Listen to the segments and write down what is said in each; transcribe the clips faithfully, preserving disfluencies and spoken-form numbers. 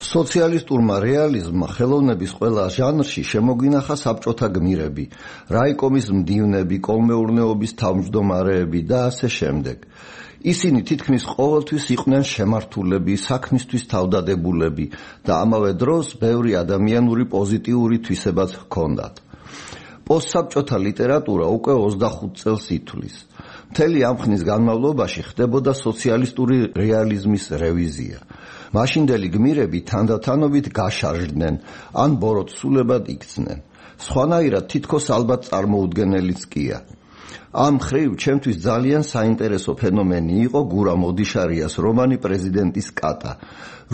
სოციალისტურმა რეალიზმმა ხელოვნების ყველა ჟანრში შემოგინახა საბჭოთა გმირები, რაიკომის მდივნები, კოლმეურნეობის თავმჯდომარეები და ასე შემდეგ. ისინი თითქმის ყოველთვის იყვნენ შემართულები, საქმისთვის თავდადებულები და ამავე დროს ბევრი ადამიანური პოზიტიური თვისებაც ჰქონდათ. პოსტსაბჭოთა ლიტერატურა უკვე ოცდახუთ წელს ითვლის. მთელი ამ ხნის განმავლობაში ხდებოდა სოციალისტური რეალიზმის რევიზია. მაშინდელი გმირები თანდათანობით გაშარჟდნენ, ან ბოროტსულებად იქცნენ. სხვანაირად თითქოს ალბათ წარმოუდგენელიც კია. ამ ხრივ ჩემთვის ძალიან საინტერესო ფენომენი იყო გურამ ოდიშარიას რომანი პრეზიდენტის კატა,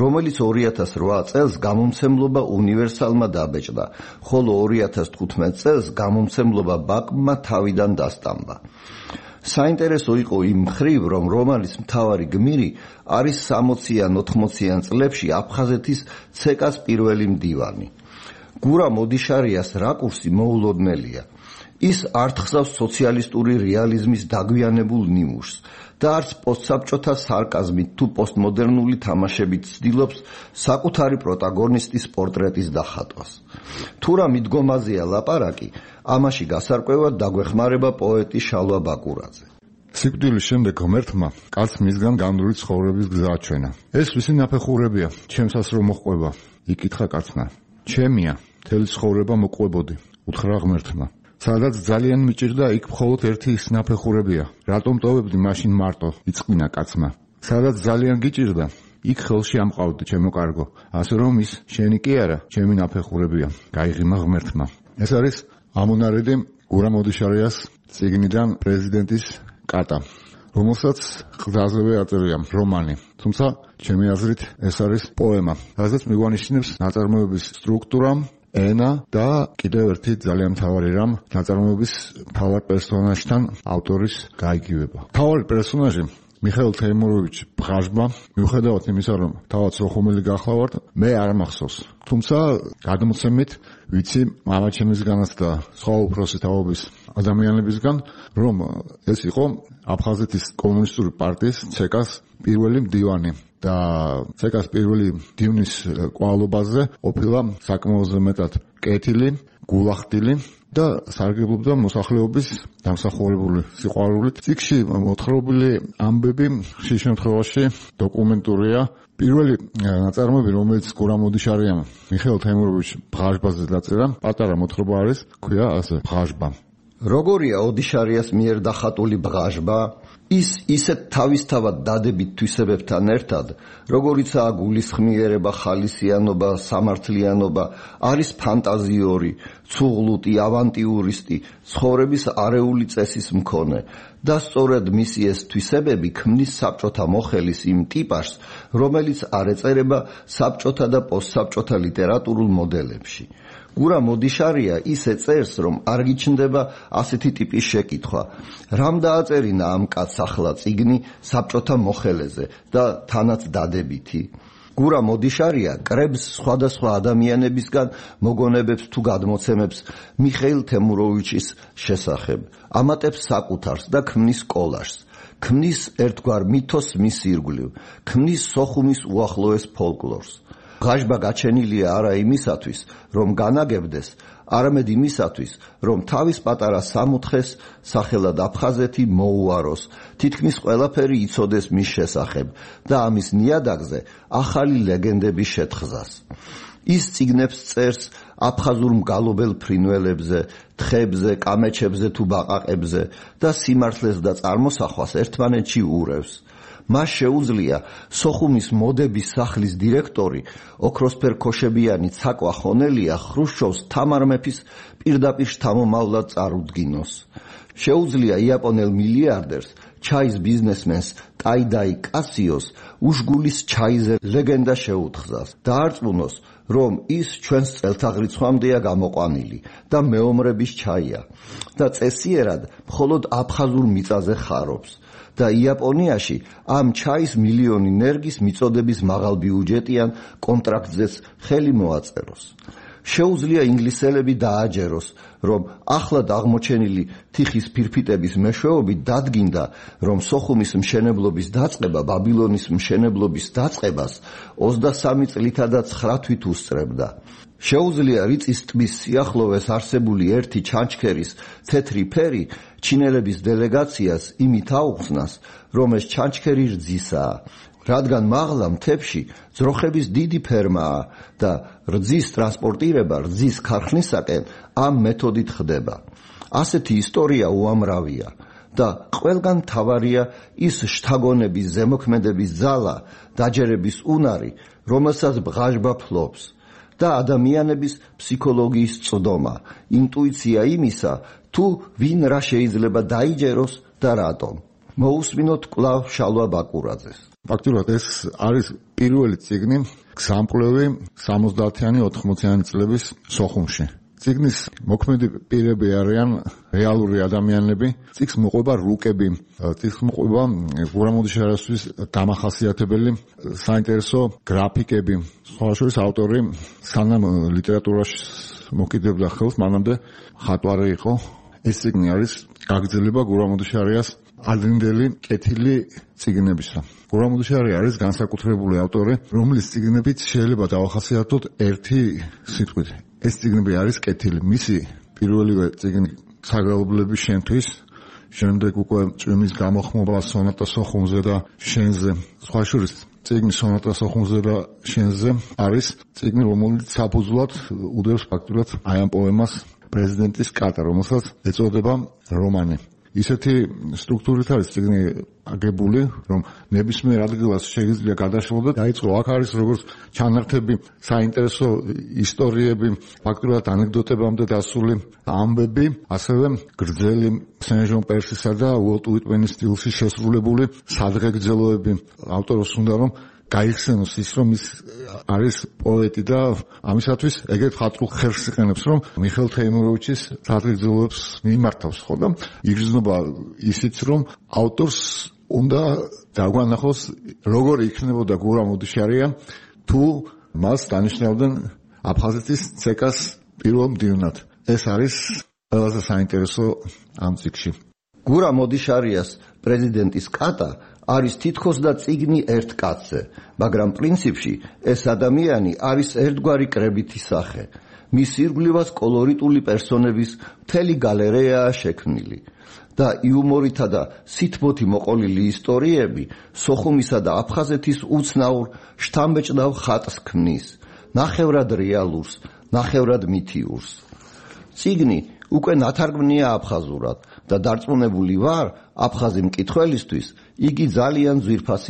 რომელიც ორი ათას რვა წელს გამომცემლობა უნივერსალმა დაბეჭდა, ხოლო ორი ათას თხუთმეტ წელს გამომცემლობა ბაკმა თავიდან დასტამბა. საინტერესო იყო იმ ხრივ, რომ რომანის მთავარი გმირი არის სამოციან ოთხმოციან წლებში აფხაზეთის ცეკას პირველი მდივანი. გურამ ოდიშარიას რაკურსი მოულოდნელია. ის არ თხზავს სოციალისტური რეალიზმის დაგვიანებულ ნიმუშს და არც პოსტსაბჭოთა სარკაზმით თუ პოსტმოდერნული თამაშებით ცდილობს საკუთარი პროტაგონისტის პორტრეტის დახატვას. თუ რა მიდგომაზეა ლაპარაკი, ამაში გასარკვევად დაგვეხმარება პოეტი შალვა ბაკურაძე. სიკვდილის შემდეგ ღმერთმა კაცს მისგან გამდური ცხოვრების გზა აჩვენა. ეს ვისი ნაფეხურებია, ჩემსაც რომ მოჰყვება, იკითხა კაცმა. ჩემია, მთელი ცხოვრება მოყვებოდი, უთხრა ღმერთმა. სადაც ძალიან მიჭირდა, იქ მხოლოდ ერთი ის ნაფეხურებია. რატომ ტოვებდი მაშინ მარტო, იწყვინა კაცმა. სადაც ძალიან გიჭირდა, იქ ხელში ამყავდი, ჩემო კარგო. ასე რომ ის შენი კი არა, ჩემი ნაფეხურებია, გაიღიმა ღმერთმა. ეს არის ამონარიდი გურამ ოდიშარიას წიგნიდან პრეზიდენტის კატა, რომელსაც ყზაზევე აწერია რომანი. თუმცა ჩემი აზრით ეს არის პოემა, რასაც მიგვანიშნებს ნაწარმოების სტრუქტურა, ენა და კიდევ ერთი ძალიან მთავარი რამ, ნაწარმოების მთავარ პერსონაჟთან ავტორის გაიგივება. მთავარი პერსონაჟი მიხეილ თეიმუროვიჩ ბღაჟბა, მიუხედავად იმისა, რომ თავად სოხუმელი გახლავართ, მე არ მახსოვს. თუმცა გადმოცემით ვიცი მამაჩემისგანაც და სხვა უფროსი თაობის ადამიანებისგან, რომ ეს იყო აფხაზეთის კომუნისტური პარტიის ცეკას პირველი მდივანი და ცეკას პირველი მდივნის ყვავილობაზე ყოფილა საკმაოზე მეტად კეთილი, გულახდილი და სარგებლობდა მოსახლეობის დამსახურებული სიყვარულით. წიგნში მოთხრობილი ამბები ხშირ შემთხვევაში დოკუმენტურია. პირველი ნაწარმოები, რომელიც გურამ ოდიშარიამ მიხეილ თეიმუროვიჩ ბღაჟბაზე დაწერა, პატარა მოთხრობა არის, ქვია ასე ბღაჟბა. როგორია ოდიშარიას მიერ დახატული ბღაჟბა? ის ისეთ თავისთავად დადებით თვისებებთან ერთად, როგორიცაა გულისხმიერება, ხალისიანობა, სამართლიანობა, არის ფანტაზიური, ცუღლუტი, ავანტიურისტი, ცხოვრების არეული წესის მქონე და სწორედ მისი ეს თვისებები ქმნის საბჭოთა მოხელის იმ ტიპაჟს, რომელიც არ ეწერება საბჭოთა და პოსტსაბჭოთა ლიტერატურულ მოდელებში. გურამ ოდიშარია ისე წერს, რომ არ გიჩნდება ასეთი ტიპის შეკითხვა. რამ დააწერინა ამ კაცს ახლა წიგნი საბჭოთა მოხელეზე და თანაც დადებითი? გურამ ოდიშარია კრებს სხვადასხვა ადამიანებისგან მოგონებებს თუ გადმოცემებს მიხეილ თემუროვიჩის შესახებ, ამატებს საკუთარს და ქმნის კოლაჟს. ქმნის ერთგვარ მითოს მის ირგვლივ, ქმნის სოხუმის უახლოეს ფოლკლორს. ბღაჟბა გაჩენილია არა იმისათვის, რომ განაგებდეს, არამედ იმისათვის, რომ თავის პატარა სამოთხეს სახელად აფხაზეთი მოუაროს, თითქმის ყველაფერი იცოდეს მის შესახებ და ამის ნიადაგზე ახალი ლეგენდები შეთხზას. ის წიგნებს წერს აფხაზურ მგალობელ ფრინველებზე, თხებზე, კამეჩებზე თუ ბაყაყებზე და სიმართლეს და წარმოსახვას ერთმანეთში ურევს. მას შეუძლია სოხუმის მოდების სახლის დირექტორი, ოქროსფერ ქოშებიანი ცაკვა ხონელია ხრუშჩოვს თამარ მეფის პირდაპირ შთამომავლად წარუდგინოს. შეუძლია იაპონელ მილიარდერს, ჩაის ბიზნესმენს ტაიდაი კასიოს უშგულის ჩაიზე ლეგენდა შეუთხზას. დაარწმუნოს, რომ ის ჩვენს წელთაღრიცხვამდეა გამოყვანილი და მეომრების ჩაია და წესიერად მხოლოდ აფხაზურ მიწაზე ხარობს. და იაპონიაში ამ ჩაის მილიონი ნერგის მიწოდების მაღალბიუჯეტიან კონტრაქტზეც ხელი მოაწეროს. შეუძლია ინგლისელები დააჯეროს, რომ ახლად აღმოჩენილი თიხის ფირფიტების მეშვეობით დადგინდა, რომ სოხუმის მშენებლობის დაწყება ბაბილონის მშენებლობის დაწყებას ოცდასამი წლითა და ცხრა თვით უსწრებდა. შეუძლია რიწის ტბის სიახლოვეს არსებული ერთი ჩანჩქერის თეთრი ფერი ჩინელების დელეგაციას იმით აუხსნას, რომ ეს ჩანჩქერი რძისაა, რადგან მაღლა მთებში ძროხების დიდი ფერმაა და რძის ტრანსპორტირება რძის ქარხნისაკენ ამ მეთოდით ხდება. ასეთი ისტორია უამრავია და ყველგან მთავარია ის შთაგონების ზემოქმედების ძალა, დაჯერების უნარი, რომელსაც ბღაჟბა ფლობს და ადამიანების ფსიქოლოგიის წვდომა, ინტუიცია იმისა, თუ ვინ რა შეიძლება დაიჯეროს და რატომ. მოусმინოთ კვლავ შალვა ბაკურაძეს. ფაქტურად ეს არის პირველი წიგნი გზამკვლევი სამოცდაათიანი ოთხმოციანი წლების სოხუმში. წიგნის მოქმედი პირები არიან რეალური ადამიანები. წიგნს მოყვება რუკები, წიგნს მოყვება გურამოდიშარისთვის დამახასიათებელი საინტერესო გრაფიკები. სხვა შორის ავტორი სანამ ლიტერატურაში მოკიდებდა ხელს, მანამდე ხატვარი იყო. ეს წიგნი არის გაგრძელება გურამოდიშარიას ადრინდელი კეთილი წიგნებისა. გურამოდიშარი არის განსაკუთრებული ავტორი, რომლის წიგნებით შეიძლება დავახასიათოთ ერთი სიტყვით. ეს წიგნები არის კეთილი. მისი პირველივე წიგნი საგალობლების შენთვის, შემდეგ უკვე წვიმის გამოხმობა სონატა სოხუმზე და შენზე. სხვა შორის წიგნი სონატა სოხუმზე და შენზე არის წიგნი, რომელიც საფუძვლად უდევს ფაქტურად აი ამ პოემას პრეზიდენტის კატა, რომელსაც ეწოდება რომანი. ისეთი სტრუქტურით არის წიგნი აგებული, რომ ნებისმიერ ადგილას შეიძლება გადაშლო და დაიწყო. აქ არის როგორც ჩანართები, საინტერესო ისტორიები, ფაქტურად ანეკდოტებამდე დასული ამბები, ასევე გრძელი სენ-ჟონ პერსისა და უოლტ უიტმენის სტილში შესრულებული სადღეგრძელოები. ავტორს უნდა რომ გაიხსენოს ის, რომ ის არის პოეტი და ამისათვის ეგეთ ხატულ ხერხს იყენებს, რომ მიხეილ თეიმუროვიჩის სადღეგრძელოებს მიმართავს, ხო და იგრძნობა ისიც, რომ ავტორს უნდა დაგვანახოს, როგორ იქნებოდა გურამოდიშარია, თუ მას დანიშნავდნენ აფხაზეთის ცეკას პირველ მდივნად. ეს არის ყველაზე საინტერესო ამ წიგნში. გურამოდიშარიას პრეზიდენტის კატა არის თითქოს და წიგნი ერთ კაცზე, მაგრამ პრინციპში ეს ადამიანი არის ერთგვარი კრებითი სახე. მის ირგვლივაც კოლორიტული პერსონების მთელი გალერეაა შექმნილი და იუმორითა და სითბოთი მოყოლილი ისტორიები სოხუმისა და აფხაზეთის უცნაურ შთამბეჭდავ ხატს ქმნის, ნახევრად რეალურს, ნახევრად მითიურს. წიგნი უკვე ნათარგმნია აფხაზურად და დარწმუნებული ვარ, აფხაზი მკითხველისთვის იგი ძალიან ძვირფასი